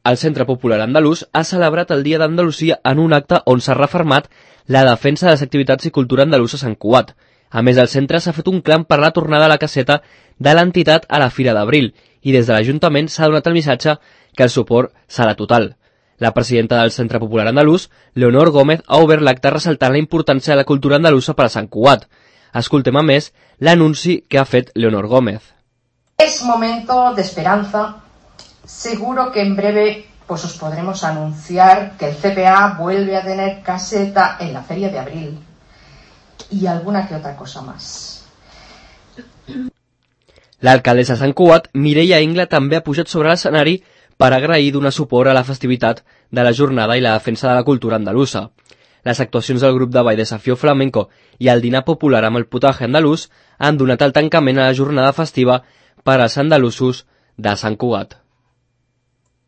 el Centre Popular Andalús ha celebrat el Dia d'Andalusia en un acte on s'ha refermat la defensa de les activitats i cultura andalusa a Sant Cugat. A més, el centre s'ha fet un clam per la tornada a la caseta de l'entitat a la Fira d'Abril i des de l'Ajuntament s'ha donat el missatge que el suport serà total. La presidenta del Centre Popular Andalús, Leonor Gómez, ha obert l'acte ressaltant la importància de la cultura andalusa per a Sant Cugat. Escoltem a més l'anunci que ha fet Leonor Gómez. Es momento de esperanza. Seguro que en breve pues os podremos anunciar que el CPA vuelve a tener caseta en la Feria de Abril y alguna que otra cosa más. L'alcaldessa de Sant Cugat, Mireia Ingla, també ha pujat sobre l'escenari per agrair donar suport a la festivitat de la jornada i la defensa de la cultura andalusa. Les actuacions del grup de ball Desafío Flamenco i el dinar popular amb el potaje andalús han donat el tancament a la jornada festiva per als andalusos de Sant Cugat.